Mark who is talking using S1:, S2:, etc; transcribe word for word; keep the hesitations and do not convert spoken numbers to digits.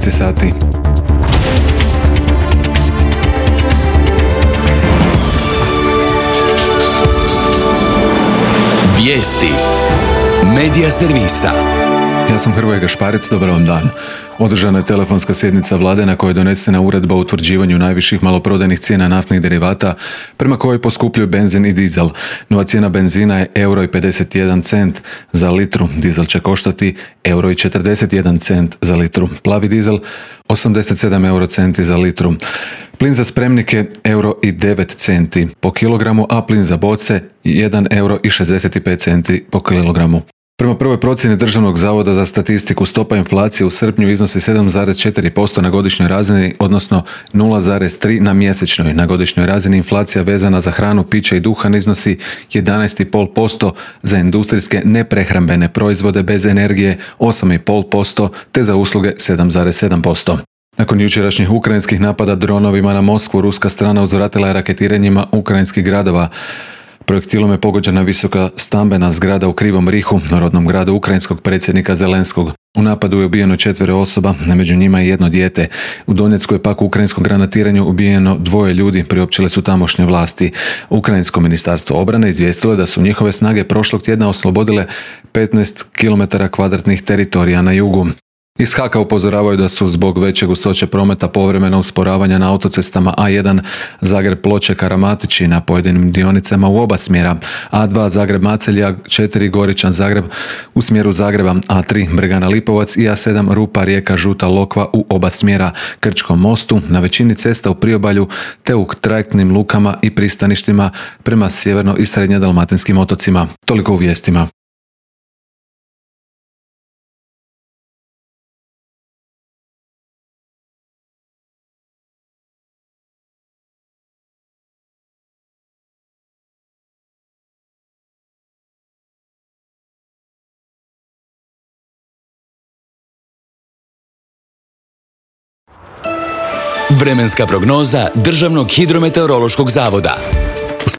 S1: šesnaest sati.
S2: Vijesti Medija servisa.
S1: Ja sam Hrvoje Gašparec, dobar vam dan. Održana je telefonska sjednica vlade na kojoj je donesena uredba o utvrđivanju najviših maloprodajnih cijena naftnih derivata prema kojoj poskupljuju benzin i dizel. Nova cijena benzina je euro i pedeset jedan cent za litru, dizel će koštati euro i četrdeset jedan cent za litru, plavi dizel osamdeset sedam euro centi za litru. Plin za spremnike euro i devet centi po kilogramu, a plin za boce jedan euro i šezdeset pet centi po kilogramu. Prema prvoj procjeni Državnog zavoda za statistiku, stopa inflacije u srpnju iznosi sedam zarez četiri posto na godišnjoj razini, odnosno nula zarez tri na mjesečnoj. Na godišnjoj razini inflacija vezana za hranu, piće i duhan iznosi jedanaest zarez pet posto, za industrijske neprehrambene proizvode bez energije osam zarez pet posto, te za usluge sedam zarez sedam posto. Nakon jučerašnjih ukrajinskih napada dronovima na Moskvu, ruska strana uzvratila je raketiranjima ukrajinskih gradova. Projektilom je pogođena visoka stambena zgrada u Krivom Rihu, rodnom gradu ukrajinskog predsjednika Zelenskog. U napadu je ubijeno četvero osoba, a među njima i jedno dijete. U Donjecku je pak u ukrajinskom granatiranju ubijeno dvoje ljudi, priopćile su tamošnje vlasti. Ukrajinsko ministarstvo obrane izvijestilo je da su njihove snage prošlog tjedna oslobodile petnaest kilometara kvadratnih teritorija na jugu. Iz Haka upozoravaju da su zbog veće gustoće prometa povremeno usporavanja na autocestama A jedan Zagreb-Ploče-Karamatići na pojedinim dionicama u oba smjera, A dva Zagreb-Macelja, četiri Goričan-Zagreb u smjeru Zagreba, A tri Bregana-Lipovac i A sedam Rupa-Rijeka-Žuta Lokva u oba smjera, Krčkom mostu, na većini cesta u priobalju te u trajektnim lukama i pristaništima prema sjeverno- i srednje-dalmatinskim otocima. Toliko u vijestima.
S2: Vremenska prognoza Državnog hidrometeorološkog zavoda.